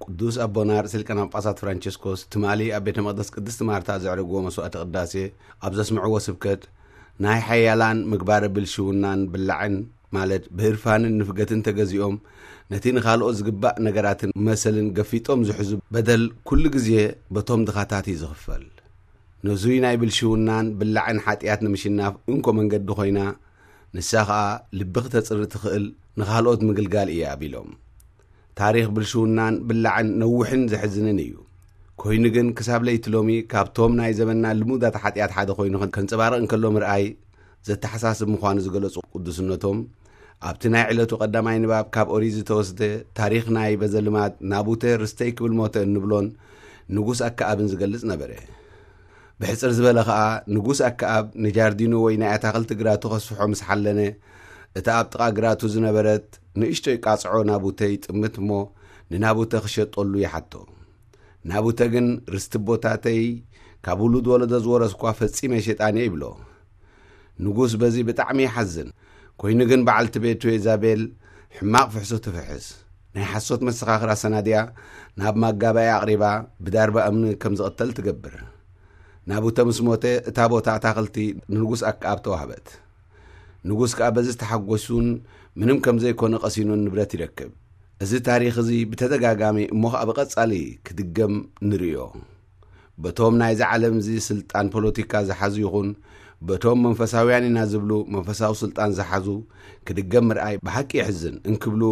ቅዱስ ኣቦና ርእሰ ሊቃነ ጳጳሳት ፍራንቸስኮስ ትማሊ ኣብ ቤተ መቕደስ ቅድስቲ ማርታ ዘዕረግዎ መስዋዕተ ቅዳሴ ኣብ ዘስምዕዎ ስብከት፣ ናይ ሓያላን ምግባረ ብልሽውናን ብላዕን፣ ማለት ብህርፋንን ንፍገትን ተገዚኦም፣ ነቲ ንኻልኦት ዝግባእ ነገራትን መሰልን ገፊጦም ዝሕዙ በደል ኩሉ ግዜ በቶም ድኻታት እዩ ዝኽፈል። ነዙይ ናይ ብልሽውናን ብላዕን ሓጢኣት ንምሽናፍ እንኮ መንገዲ ኮይና፣ ንሳ ኸኣ ልቢ ክተጽሪ ትኽእል ንኻልኦት ምግልጋል እያ ቢሎም። ታሪኽ ብልሽውናን ብላዕን ነዊሕን ዘሕዝንን እዩ። ኮይኑ ግን ክሳብ ለይቲ ሎሚ ካብቶም ናይ ዘመንና ልሙዳት ሓጢኣት ሓደ ኮይኑ ከንጸባረቕ እንከሎ ምርኣይ ዘተሓሳስብ ምዃኑ ዝገለጹ ቅዱስነቶም፣ ኣብቲ ናይ ዕለቱ ቀዳማይ ንባብ ካብ ኦሪት ዝተወስደ ታሪኽ ናይ በዘልማድ ናቡተ ርስተይ ክብል ሞተ እንብሎን ንጉስ ኣከኣብን ዝገልጽ ነበረ። ብሕጽር ዝበለ ኸኣ ንጉስ ኣከኣብ ንጃርዲኑ ወይ ናይ ኣታኽልቲ ግራቱ ከስፍሖ ምስ ሓለነ፣ እታ ኣብ ጥቓ ግራቱ ዝነበረት ንእሽቶይ ቃጽዖ ናቡተ ይጥምት እሞ ንናቡተ ክሸጠሉ ይሓቶ። ናቡተ ግን ርስቲ ቦታተይ ካብ ውሉድ ወለዶ ዝወረስኳ ፈጺመ ሸጣን እየ ይብሎ። ንጉስ በዚ ብጣዕሚ ይሓዝን። ኮይኑ ግን በዓልቲ ቤቱ ኤዛቤል ሕማቕ ፍሕሶ ትፍሕስ። ናይ ሓሶት መሰኻኽር ኣሰናዲኣ ናብ ማጋባያ ኣቕሪባ ብዳርባ እምኒ ከም ዝቕተል ትገብር። ናቡተ ምስ ሞተ እታ ቦታ ኣታኽልቲ ንንጉስ ኣከኣብ ተዋህበት። ንጉስ ከኣ በዚ ተሓጎሱን ምንም ከም ዘይኮነ ቀሲኑን ንብረት ይረክብ። እዚ ታሪኽ እዚ ብተደጋጋሚ እሞ ኸኣ ብቐጻሊ ክድገም ንርእዮ። በቶም ናይዚ ዓለም እዚ ስልጣን ፖለቲካ ዝሓዙ ይኹን በቶም መንፈሳውያን ኢና ዝብሉ መንፈሳዊ ስልጣን ዝሓዙ ክድገም ምርኣይ ብሓቂ የሕዝን እንክብሉ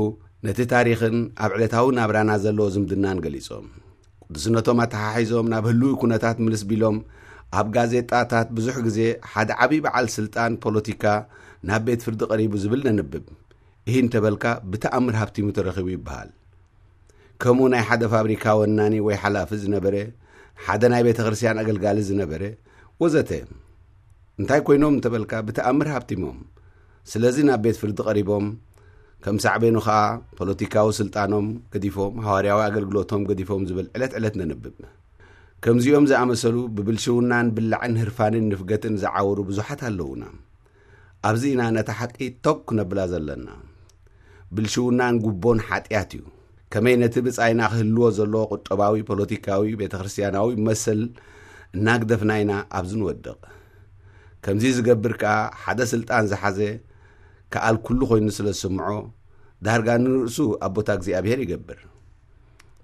ነቲ ታሪኽን ኣብ ዕለታዊ ናብራና ዘለዎ ዝምድናን ገሊጾም። ቅዱስነቶም ኣተሓሒዞም ናብ ህልዊ ኩነታት ምልስ ቢሎም ኣብ ጋዜጣታት ብዙሕ ግዜ ሓደ ዓብዪ በዓል ስልጣን ፖለቲካ ናብ ቤት ፍርዲ ቀሪቡ ዝብል ነንብብ። ይህ እንተበልካ ብተኣምር ሃብቲሙ ተረኺቡ ይበሃል። ከምኡ ናይ ሓደ ፋብሪካ ወናኒ ወይ ሓላፊ ዝነበረ፣ ሓደ ናይ ቤተ ክርስቲያን ኣገልጋሊ ዝነበረ ወዘተ። እንታይ ኮይኖም እንተበልካ ብተኣምር ሃብቲሞም። ስለዚ ናብ ቤት ፍርዲ ቀሪቦም ከም ሳዕቤኑ ኸኣ ፖለቲካዊ ስልጣኖም ገዲፎም ሃዋርያዊ ኣገልግሎቶም ገዲፎም ዝብል ዕለት ዕለት ነንብብ። ከምዚኦም ዝኣመሰሉ ብብልሽውናን ብላዕን ህርፋንን ንፍገትን ዝዓወሩ ብዙሓት ኣለዉና። ኣብዚ ኢና ነታ ሓቂ ቶክ ክነብላ ዘለና። ብልሽውናን ጉቦን ሓጢኣት እዩ። ከመይ ነቲ ብጻይና ክህልዎ ዘለዎ ቁጠባዊ ፖለቲካዊ ቤተ ክርስቲያናዊ መሰል እናግደፍና ኢና ኣብዚ ንወድቕ። ከምዚ ዝገብር ከኣ ሓደ ስልጣን ዝሓዘ ከኣል ኩሉ ኮይኑ ስለ ዝስምዖ ዳርጋ ንርእሱ ኣቦታ እግዚኣብሔር ይገብር።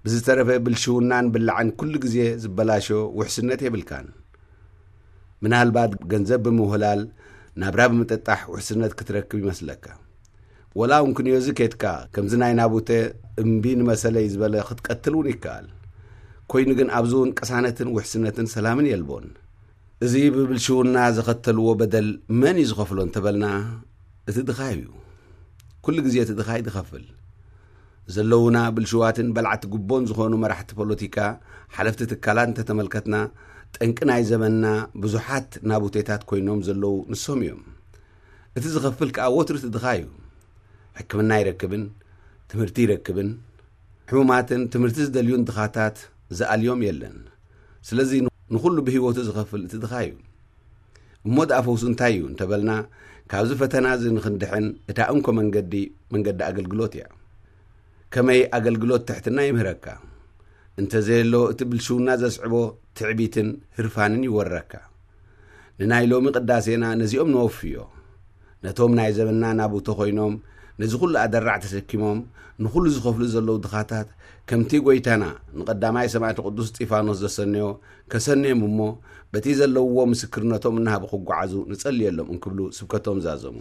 ብዝተረፈ ብልሽውናን ብላዕን ኩሉ ግዜ ዝበላሾ ውሕስነት የብልካን። ምናልባት ገንዘብ ብምውህላል ናብራ ብምጥጣሕ ውሕስነት ክትረክብ ይመስለካ። ወላ እውን ክንዮዚ ኬድካ ከምዚ ናይ ናቡተ እምቢ ንመሰለይ ዝበለ ክትቀትል እውን ይከኣል። ኮይኑ ግን ኣብዚ እውን ቅሳነትን ውሕስነትን ሰላምን የልቦን። እዚ ብብልሽውና ዘኸተልዎ በደል መን እዩ ዝኸፍሎ እንተበልና እቲ ድኻ እዩ። ኩሉ ግዜ እቲ ድኻ እዩ ዝኸፍል። ዘለውና ብልሽዋትን በላዕቲ ጉቦን ዝኾኑ መራሕቲ ፖለቲካ፣ ሓለፍቲ ትካላት እንተተመልከትና፣ ጠንቂ ናይ ዘመንና ብዙሓት ናቡቴታት ኮይኖም ዘለዉ ንሶም እዮም። እቲ ዝኸፍል ከኣ ወትሩ እቲ ድኻ እዩ። ሕክምና ይረክብን ትምህርቲ ይረክብን፣ ሕሙማትን ትምህርቲ ዝደልዩን ድኻታት ዝኣልዮም የለን። ስለዚ ንኹሉ ብህይወቱ ዝኸፍል እቲ ድኻ እዩ። እሞ ደኣ ፈውሱ እንታይ እዩ እንተበልና፣ ካብዚ ፈተና እዚ ንኽንድሕን እታ እንኮ መንገዲ፣ መንገዲ ኣገልግሎት እያ። ከመይ ኣገልግሎት ትሕትና ይምህረካ። እንተዘየሎ እቲ ብልሽውና ዘስዕቦ ትዕቢትን ህርፋንን ይወረካ። ንናይ ሎሚ ቅዳሴና ነዚኦም ነወፍዮ። ነቶም ናይ ዘመንና ናቡተ ኮይኖም ነዚ ኩሉ ኣደራዕ ተሰኪሞም ንኹሉ ዝኸፍሉ ዘለዉ ድኻታት፣ ከምቲ ጎይታና ንቐዳማይ ሰማዕቲ ቅዱስ እስጢፋኖስ ዘሰነዮ ከሰንዮም እሞ፣ በቲ ዘለውዎ ምስክርነቶም እናሃቡ ክጓዓዙ ንጸልየሎም እንክብሉ ስብከቶም ዛዘሙ።